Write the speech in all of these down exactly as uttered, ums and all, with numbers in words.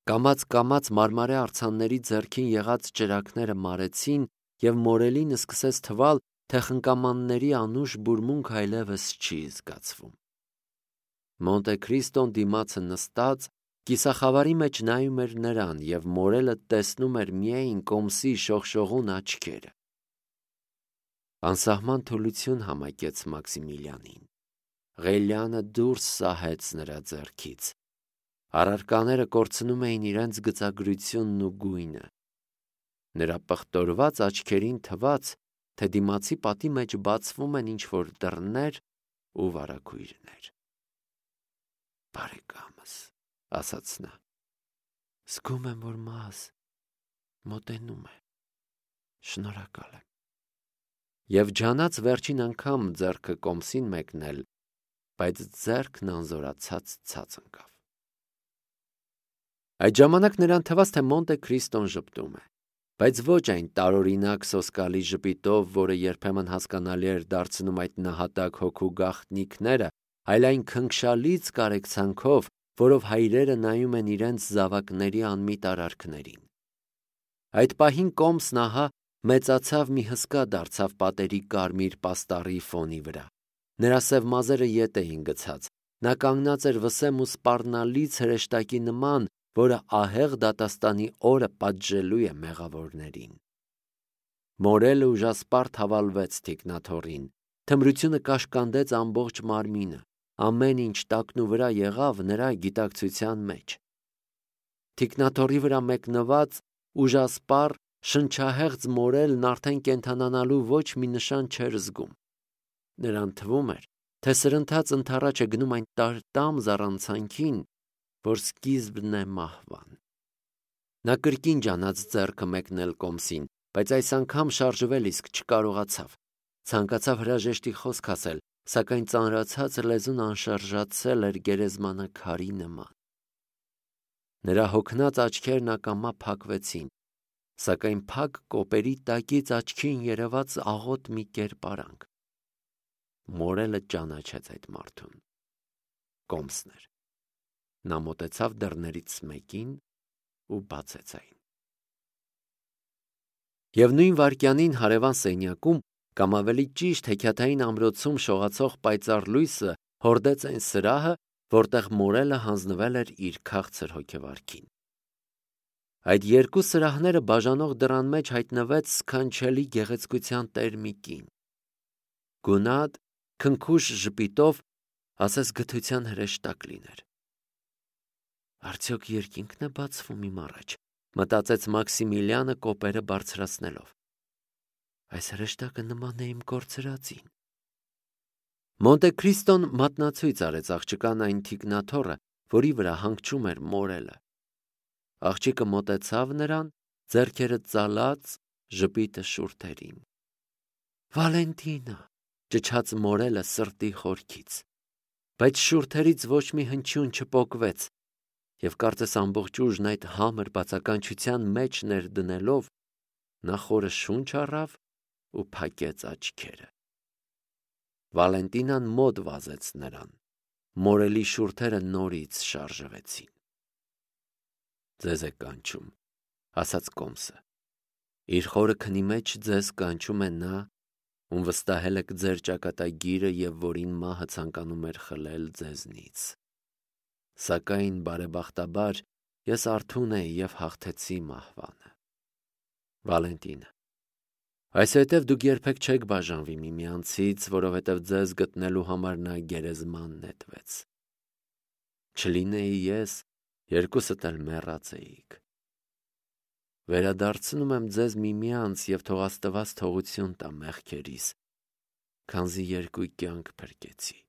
Կամաց-կամաց մարմարե արձանների ձեռքին եղած ճրագները մարեցին, և մորելին սկսեց թվալ, թե խնկամանների անուշ բուրմունք այլևս չի զգացվում։ Մոնտե Քրիստոն դիմացը նստած կիսախավարի մեջ նայում էր նրան, և մորելը տեսնում էր միայն կոմսի շողշողուն աչքերը։ Անսահման թուլություն համակեց Մաքսիմիլիանին։ Ղելյանը դուրս սահեց նրա ձեռքից։ Առարկաները կորցնում էին իրենց գծագրությունն ու գույնը։ Նրա պղտորված աչքերին թվաց, թե դիմացի պատի մեջ բացվում են ինչ-որ դռներ ու վարագույրներ։ «Բարեկամս», ասաց նա, «զգում եմ, որ մահս մոտենում է, շնորհակալ եմ»։ Եվ ջանաց վերջին անգամ ձեռքը կոմսին մեկնել, բայց ձեռքն անզորացած ցած ընկավ։ Այդ ժամանակ նրան թվաց, թե Մոնտե Քրիստոն ժպտում է, բայց ոչ այն տարօրինակ սոսկալի ժպիտով, որը երբեմն հասկանալի էր դարձնում այդ նահատակ հոգու գաղտնիքները, այլ այն քնքշալից կարեկցանքով, որով հայրերը նայում են իրենց զավակների անմիտ արարքներին։ Այդ պահին կոմսն ահա մեծացավ, մի հսկա դարձավ պատերի կարմիր պաստառի ֆոնի վրա։ Նրա սև մազերը ետ էին գցած, նա կանգնած էր վսեմ ու սպառնալից հրեշտակի նման, որը ահեղ դատաստանի օրը պատժելու է մեղավորներին։ Մորելը ուժասպառ հավալվեց թիկնաթոռին, թմրությունը կաշկանդեց ամբողջ մարմինը, ամեն ինչ տակնուվրա եղավ նրա գիտակցության մեջ։ Թիկնաթոռի վրա մեկնված ուժասպառ շնչահեղձ մորելն արդեն կենդանանալու ոչ մի նշան չէր զգում։ Նրան թվում էր, թե սրընթաց ընդառաջ է գնում այն տար-տամ զառանցանքին, որ սկիզբն է մահվան։ Նա կրկին ջանաց ձեռքը մեկնել կոմսին, բայց այս անգամ շարժվել իսկ չկարողացավ։ Ցանկացավ հրաժեշտի խոսք ասել, սակայն ծանրացած լեզուն անշարժացել էր գերեզմանը քարի նման։ Նրա հոգնած աչքերն ակամա փակվեցին, սակայն փակ կոպերի տակից աչքին երևաց աղոտ մի կերպարանք։ Մորելը ճանաչեց այդ մարդուն։ Կոմսն էր։ Նա մոտեցավ դռներից մեկին ու բացեց այն։ Եվ նույն վայրկյանին հարևան սենյակում, կամ ավելի ճիշտ հեքիաթային ամրոցում շողացող պայծառ լույսը հորդեց այն սրահը, որտեղ մորելը հանձնվել էր իր քաղցր հոգեվարքին։ Այդ երկու սրահները բաժանող դռան մեջ հայտնվեց սքանչելի գեղեցկության տեր մի կին։ Գունատ, քնքուշ ժպիտով, ասես գթության հրեշտակ լիներ։ Արդյոք երկինքն է բացվում իմ առաջ, մտածեց Մաքսիմիլիանը կոպերը բարձրացնելով։ Այս հրեշտակը նման է իմ կորցրածին։ Մոնտե Քրիստոն մատնացույց արեց աղջկան այն թիկնաթոռը, որի վրա հանգչում էր մորելը։ Աղջիկը մոտեցավ նրան, ձեռքերը ծալած, ժպիտը շուրթերին։ Վալենտինա, ճչաց մորելը սրտի խորքից, բայց շուրթերից ոչ մի հնչյուն չպոկվեց, և կարծես ամբողջ ուժն այդ համր բացականչության մեջ ներդնելով, նա խորը շունչ առավ ու փակեց աչքերը։ Վալենտինան մոտ վազեց նրան, մորելի շուրթերը նորից շարժվեցին։ Ձեզ է կանչում, ասաց կոմսը։ Իր խորը քնի մեջ ձեզ կանչում է նա, ում վստահել եք ձեր ճակատագիրը և որին մահը ցանկանում էր խլել ձեզնից։ Սակայն բարեբախտաբար ես արթուն էի և հաղթեցի մահվանը։ Վալենտինա, այսուհետև դուք երբեք չեք բաժանվի միմյանցից, որովհետև ձեզ գտնելու համար նա գերեզման նետվեց։ Չլինեի ես, երկուսդ էլ մեռած էիք։ Վերադարձնում եմ ձեզ միմյանց և թող Աստված թողություն տա մեղքերիս, քանզի երկու կյանք փրկեցի։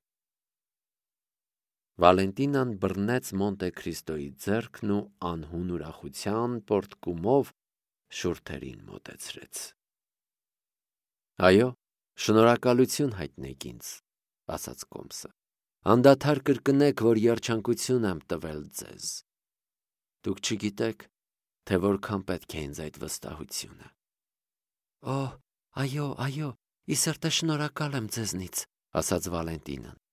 Վալենտինան բռնեց Մոնտե Քրիստոյի ձեռքն ու անհուն ուրախության պոռթկումով շուրթերին մոտեցրեց։ Այո, շնորհակալություն հայտնեք ինձ, ասաց կոմսը։ Անդադար կրկնեք, որ երջանկություն եմ տվել ձեզ։ Դուք չգիտեք, թե որքան պետք է ինձ այդ վստահությունը։ Օ, այո, այո, ի սրտե շնորհակալ եմ ձեզնից, ասաց Վալենտինան։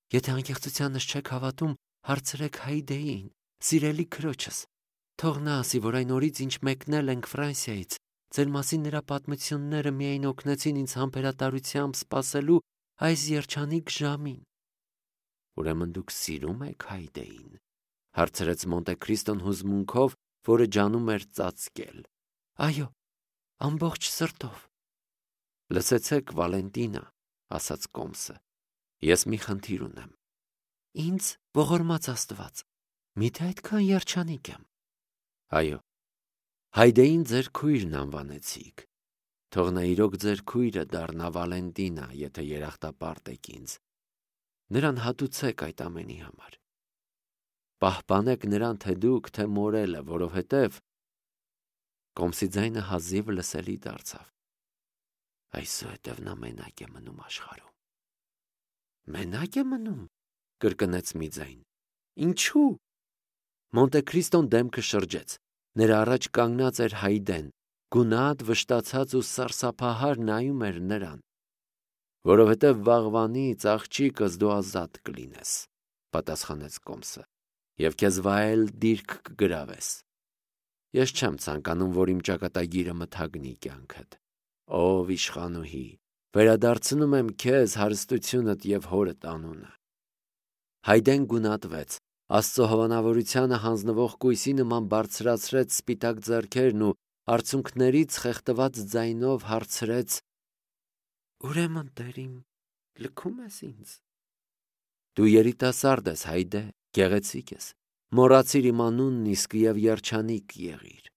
Եթե անկեղծությանս չեք հավատում, հարցրեք Հայդեին, սիրելի քրոջս։ Թող նա ասի, որ այն օրից, ինչ մեկնել ենք Ֆրանսիայից, ձեր մասին նրա պատմությունները միայն օգնեցին ինձ համբերատարությամբ սպասելու այս երջանիկ ժամին։ Ուրեմն դուք սիրում եք Հայդեին, հարցրեց Մոնտե Քրիստոն հուզմունքով, որը ջանում էր ծածկել։ Այո, ամբողջ սրտով։ Լսեցեք, Վալենտինա, ասաց Կոմսը, ես մի խնդիր ունեմ։ Ինձ ողորմած Աստված, միթե այդքան երջանիկ եմ։ Այո, Հայդեին ձեր քույրն անվանեցիք։ Թող նա իրոք ձեր քույրը դառնա, Վալենտինա, եթե երախտապարտ եք ինձ։ Նրան հատուցեք այդ ամենի համար։ Պահպանեք նրան թե դուք, թե մորելը, որովհետև… Կոմսի ձայնը հազիվ լսելի դարձավ։ Այսուհետև նա մենակ է մնում աշխարհում։ Մենակ է մնում, կրկնեց մի ձայն։ Ինչու՞։ Մոնտե Քրիստոն դեմքը շրջեց։ Նրա առաջ կանգնած էր Հայդեն, գունատ, վշտացած ու սարսափահար նայում էր նրան։ Որովհետև վաղվանից, աղջիկս, դու ազատ կլինես, պատասխանեց Կոմսը, և քեզ վայել դիրք կգրավես։ Ես չեմ ցանկանում, որ իմ ճակատագիրը մթագնի կյանքդ։ Ով իշխանուհի, վերադարձնում եմ քեզ հարստությունդ և հորդ անունը։ Հայդեն գունատվեց, Աստծո հովանավորությանը հանձնվող կույսի նման բարձրացրեց սպիտակ ձեռքերն ու արցունքներից խեղդված ձայնով հարցրեց. Ուրեմն, Տերիմ, լքում ես ինձ։ Դու երիտասարդ ես, Հայդե, գեղեցիկ ես, մոռացիր իմ անունն իսկ և երջանիկ եղիր։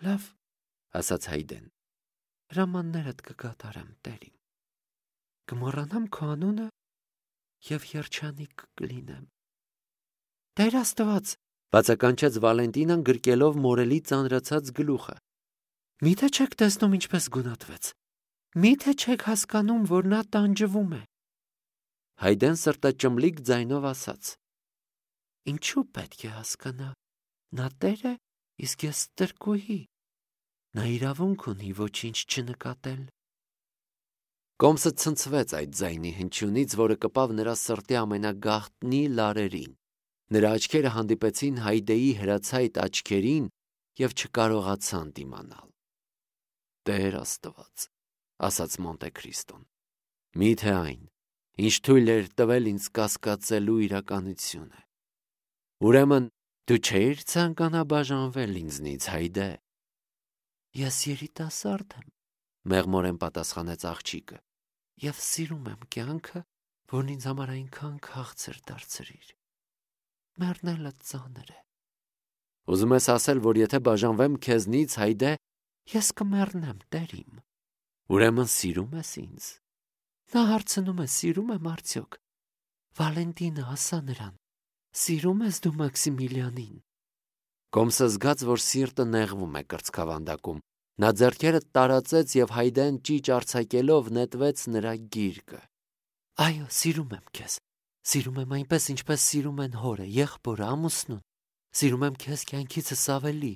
Լավ, ասաց Հայդեն, հրամաններդ կկատարեմ, Տերիմ։ Կմոռանամ քո անունը և երջանիկ կլինեմ։ Տեր Աստված, բացականչեց Վալենտինան գրկելով մորելի ծանրացած գլուխը։ Միթե չեք տեսնում ինչպես գունատվեց։ Միթե չեք հասկանում, որ նա տանջվում է։ Հայդեն սրտաճմլիկ ձայնով ասաց. Ինչու պետք է հասկանա։ Նա տեր է, իսկ ես ստրկուհի։ Նա իրավունք ունի ոչինչ չնկատել։ Կոմսը ցնցվեց այդ ձայնի հնչյունից, որը կպավ նրա սրտի ամենագաղտնի լարերին։ Նրա աչքերը հանդիպեցին Հայդեի հրացայտ աչքերին և չկարողացան դիմանալ։ Տեր Աստված, ասաց Մոնտե Քրիստոն, միթե այն, ինչ թույլ էր տվել ինձ կասկածելու իրականությունը։ Ուրեմն դու չէիր ցանկանա բաժանվել ինձնից, Հայդե։ Ես երիտասարդ եմ, մեղմորեն պատասխանեց աղջիկը, և սիրում եմ կյանքը, որն ինձ համար այնքան քաղցր դարձրիր։ Մեռնելը ծանր է։ Ուզում ես ասել, որ եթե բաժանվեմ քեզնից, Հայդե, ես կմեռնեմ, Տերիմ։ Ուրեմն սիրում ես ինձ։ Նա հարցնում է, սիրում եմ արդյոք։ Վալենտինը, ասա նրան, սիրում ես դու Մաքսիմիլիանին։ Կոմսը զգաց, որ սիրտը նեղվում է կրծքավանդակում։ Նա ձեռքերը տարածեց և Հայդեն ճիչ արձակելով նետվեց նրա գիրկը։ Այո, սիրում եմ քեզ։ Սիրում եմ այնպես, ինչպես սիրում են հորը, եղբորը, ամուսնուն։ Սիրում եմ քեզ կյանքիցս ավելի։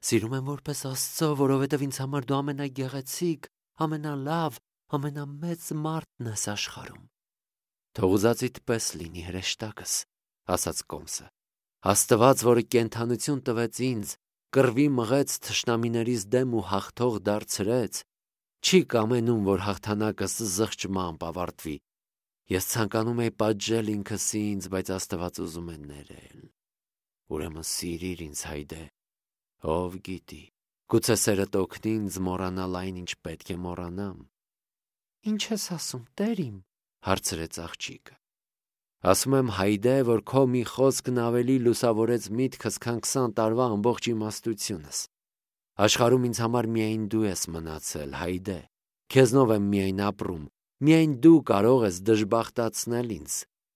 Սիրում եմ որպես Աստծո, որովհետև ինձ համար դու ամենագեղեցիկ, ամենալավ, ամենամեծ մարդն ես աշխարհում։ Թող ուզածիդ պես լինի, հրեշտակս, ասաց Կոմսը։ Աստված, որը կենդանություն տվեց ինձ, կռվի մղեց թշնամիներիս դեմ ու հաղթող դարձրեց, չի կամենում, որ հաղթանակս զղջմամբ ավարտվի։ Ես ցանկանում եի պատժել ինքս ինձ, բայց Աստված ուզում է ներել։ Ուրեմն սիրիր ինձ, Հայդե, ով գիտի, գուցե սերդ օգնի ինձ մոռանալ այն, ինչ պետք է մոռանամ։ Ինչ ես ասում, Տերիմ, հարցրեց աղջիկը։ Ասում եմ, Հայդե, որ քո մի խոսքն ավելի լուսավորեց միտքս, քան քսան տարվա ամբողջ իմաստությունս։ Աշխարհում ինձ համար միայն դու ես մնացել, Հայդե։ Քեզնով եմ միայն ապրում, միայն դու կարող ես դժբախտացնել ինձ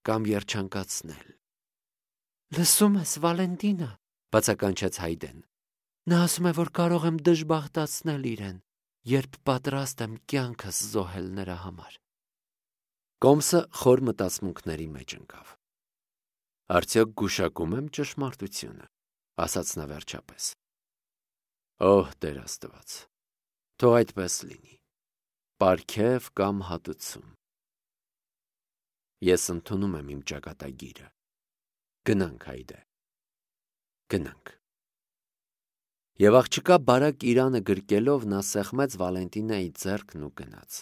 կամ երջանկացնել։ Լսում ես, Վալենտինա, բացականչեց Հայդեն։ Նա ասում է, որ կարող եմ դժբախտացնել իրեն, երբ պատրաստ եմ կյանքս զոհել նրա համար։ Կոմսը խոր մտածմունքների մեջ ընկավ։ Արդյոք գուշակում եմ ճշմարտությունը, ասաց նա վերջապես։ Օհ, Տեր Աստված, թող այդպես լինի։ Պարգև կամ հատուցում։ Ես ընդունում եմ իմ ճակատագիրը։ Գնանք, Հայդե։ Գնանք։ Եվ աղջկա բարակ իրանը գրկելով նա սեղմեց Վալենտինայի ձեռքն ու գնաց։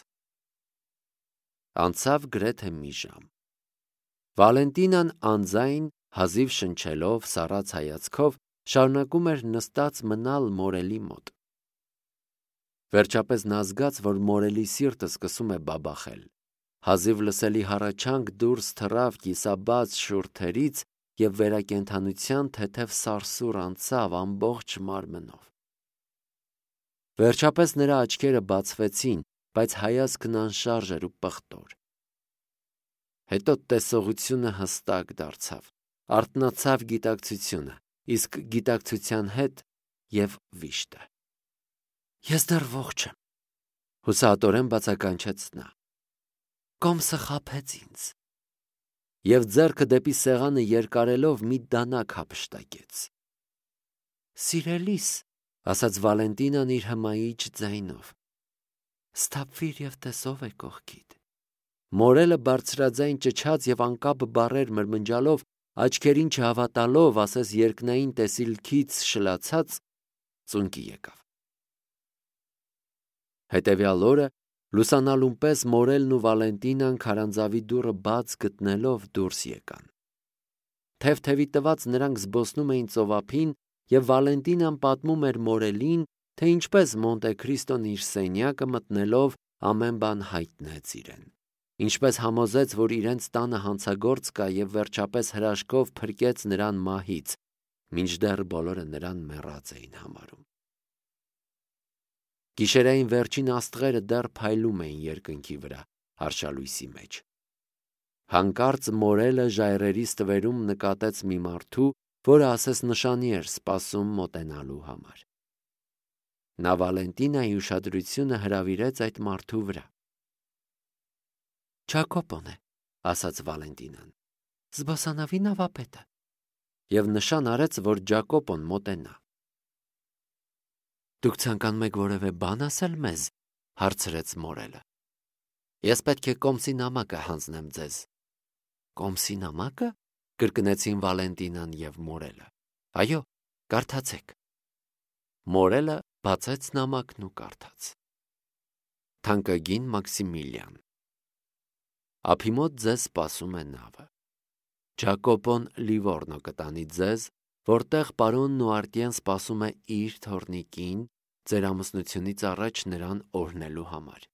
Անցավ գրեթե մի ժամ։ Վալենտինան անձայն, հազիվ շնչելով, սառած հայացքով, շարունակում էր նստած մնալ մորելի մոտ։ Վերջապես նա զգաց, որ մորելի սիրտը սկսում է բաբախել։ Հազիվ լսելի հառաչանք դուրս թռավ կիսաբաց շուրթերից և վերակենդանության թեթև սարսուռ անցավ ամբողջ մարմնով։ Վերջապես նրա աչքերը բացվեցին, բայց հայացքն անշարժ էր ու պղտոր։ Հետո տեսողությունը հստակ դարձավ, արթնացավ գիտակցությունը, իսկ գիտակցության հետ և վիշտը։ Ես դեռ ողջ եմ, հուսահատորեն բացականչեց նա։ Կոմսը խաբեց ինձ։ Եվ ձեռքը դեպի սեղանը երկարելով մի դանակ հափշտակեց։ Սիրելիս, ասաց Վալենտինան իր հմայիչ ձայնով, սթափվիր և տես ով է կողքիդ։ Մորելը բարձրաձայն ճչաց և անկապ բառեր մրմնջալով, աչքերին չհավատալով, ասես երկնային տեսիլքից շլացած, ծունկի եկավ։ Հետևյալ օրը լուսանալուն պես Մորելն ու Վալենտինան քարանձավի դուռը բաց գտնելով դուրս եկան։ Թև-թևի տված նրանք զբոսնում էին ծովափին, և Վալենտինան պատմում էր Մորելին, թե ինչպես Մոնտե Քրիստոն իր սենյակը մտնելով ամեն բան հայտնեց իրեն, ինչպես համոզեց, որ իրենց տանը հանցագործ կա և վերջապես հրաշքով փրկեց նրան մահից, մինչդեռ բոլորը նրան մեռած էին համարում։ Գիշերային վերջին աստղերը դեռ փայլում էին երկնքի վրա, արշալույսի մեջ։ Հանկարծ Մորելը ժայռերի ստվերում նկատեց մի մարդու, որը ասես նշանի էր սպասում մոտենալու համար։ Նա Վալենտինայի ուշադրությունը հրավիրեց այդ մարդու վրա։ Ջակոպոն է, ասաց Վալենտինան, զբոսանավի նավապետը, և նշան արեց, որ Ջակոպոն մոտենա։ Դուք ցանկանում եք որևէ բան ասել մեզ, հարցրեց Մորելը։ Ես պետք է Կոմսի նամակը հանձնեմ ձեզ։ Կոմսի նամակը, կրկնեցին Վալենտինան և Մորելը։ Այո, կարդացեք։ Մորելը բացեց նամակն ու կարդաց. Թանկագին Մաքսիմիլիան, ափի մոտ ձեզ սպասում է նավը։ Ջակոպոն Լիվորնո կտանի ձեզ, որտեղ պարոն Նուարտիեն սպասում է իր թոռնիկին, ձեր ամուսնությունից առաջ նրան օրհնելու համար։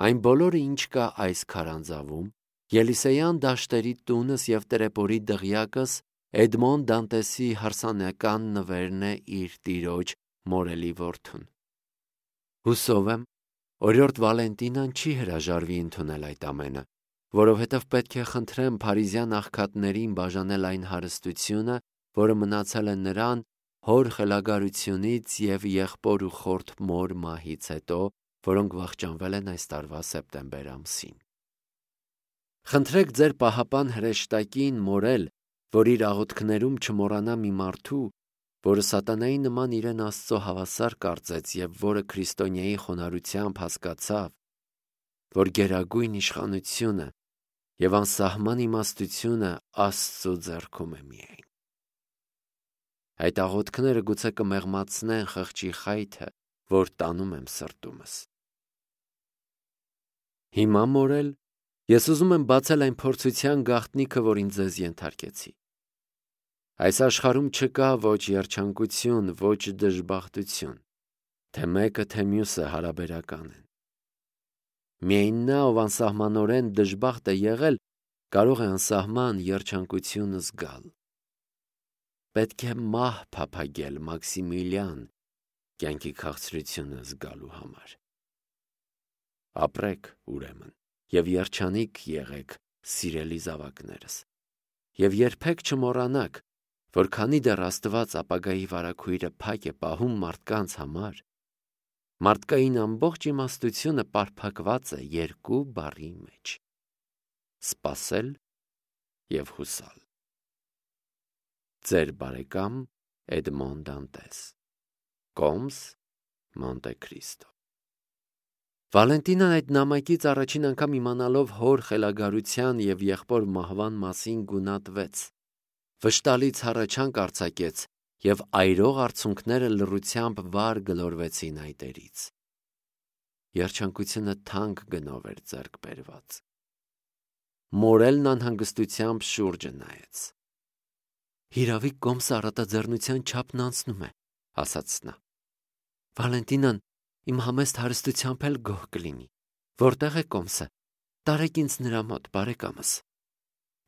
Այն բոլորը, ինչ կա այս քարանձավում, Ելիսեյան դաշտերի տունս և Տրեպորի դղյակս, Էդմոն Դանտեսի հարսանեկան նվերն է իր տիրոջ Մորելի որդուն։ Հուսով եմ, օրիորդ Վալենտինան չի հրաժարվի ընդունել այդ ամենը, որովհետև պետք է խնդրեմ փարիզյան աղքատներին բաժանել այն հարստությունը, որը մնացել է նրան հոր խելագարությունից և եղբոր ու խորթ մոր մահից հետո, որոնք վախճանվել են այս տարվա սեպտեմբեր ամսին։ Խնդրեք ձեր պահապան հրեշտակին Մորել, որ իր աղոթքներում չմոռանա մի մարդու, որը սատանայի նման իրեն Աստծո հավասար կարծեց և որը քրիստոնյայի խոնարհությամբ հասկացավ, որ գերագույն իշխանությունը և անսահման իմաստությունը Աստծո ձեռքում է միայն։ Այդ աղոթքները գուցե կմեղմացնեն խղճի խայթը, որ տանում եմ սրտումս։ Հիմա, Մորել, ես ուզում եմ բացել այն փորձության գաղտնիքը, որին ձեզ ենթարկեցի։ Այս աշխարհում չկա ոչ երջանկություն, ոչ դժբախտություն, թե մեկը, թե մյուսը հարաբերական են։ Միայն նա, ով անսահմանորեն դժբախտ է եղել, կարող է անսահման երջանկություն զգալ։ Պետք է մահ փափագել Մաքսիմիլիան կյանքի քաղցրությունը զգալու համար։ Ապրեք, ուրեմն, և երջանիկ եղեք, սիրելի զավակներս, և երբեք չմոռանաք, որ քանի դեռ Աստված ապագայի վարագույրը փակ է պահում մարդկանց համար, մարդկային ամբողջ իմաստությունը պարփակված է երկու բառի մեջ՝ սպասել և հուսալ։ Ձեր բարեկամ Էդմոն Դանտես, Կոմս, Մոնտե Քրիստո։ Վալենտինան այդ նամակից առաջին անգամ իմանալով հոր խելագարության և եղբոր մահվան մասին գունատվեց, վշտալից հառաչանք արձակեց և այրող արցունքները լռությամբ վար գլորվեցին այտերից։ Երջանկությունը թանկ գնով էր ձեռք բերված։ Մորելն անհանգստությամբ շուրջը նայեց։ «Հիրավի կոմսը առատաձեռնության չափն անցնում է», ասաց նա։ «Վալենտինան իմ համեստ հարստությամբ էլ գոհ կլինի։ Որտե՞ղ է կոմսը։ Տարեք ինձ նրա մոտ, բարեկամս»։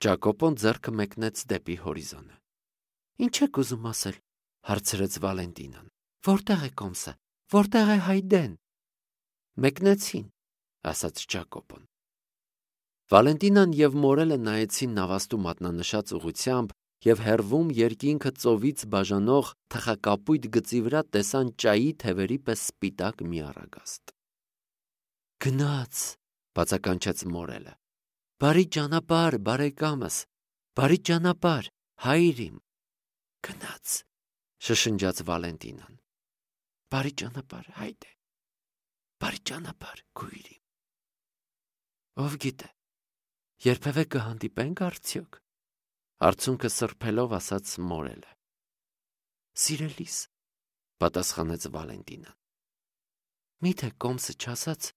Ջակոպոն ձեռքը մեկնեց դեպի հորիզոնը։ «Ինչ եք ուզում ասել», հարցրեց Վալենտինան։ «Որտե՞ղ է կոմսը, որտե՞ղ է Հայդեն»։ «Մեկնեցին», ասաց Ջակոպոն։ Վալենտինան և Մորելը նայեցին նավաստու մատնանշած ուղղությամբ և հեռվում երկինքը ծովից բաժանող թխակապույտ գծի վրա տեսան ճայի թևերի պես սպիտակ մի առագաստ։ «Գնաց», բացականչեց Մորելը։ «Բարի ճանապարհ, բարեկամս, բարի ճանապարհ, հայր իմ»։ «Գնաց», շշնջաց Վալենտինան։ «Բարի ճանապարհ, Հայդե, բարի ճանապարհ, քույր իմ»։ Ով գիտե, երբևէ կհանդիպե՞նք արդյոք, արցունքը սրբելով ասաց Մորելը։ «Սիրելիս», պատասխանեց Վալենտինան։ «Միթե կոմսը չասաց,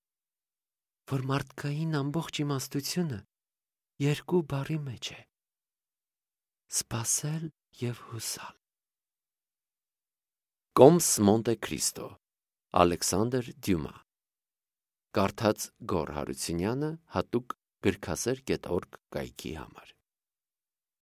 որ մարդկային ամբողջ իմաստությունը երկու բառի մեջ է՝ սպասել և հուսալ»։ Կոմս Մոնտե Քրիստո, Ալեքսանդր Դյումա։ Կարդաց Գոռ Հարությունյանը հատուկ գրքասեր կետ օրգ կայքի համար։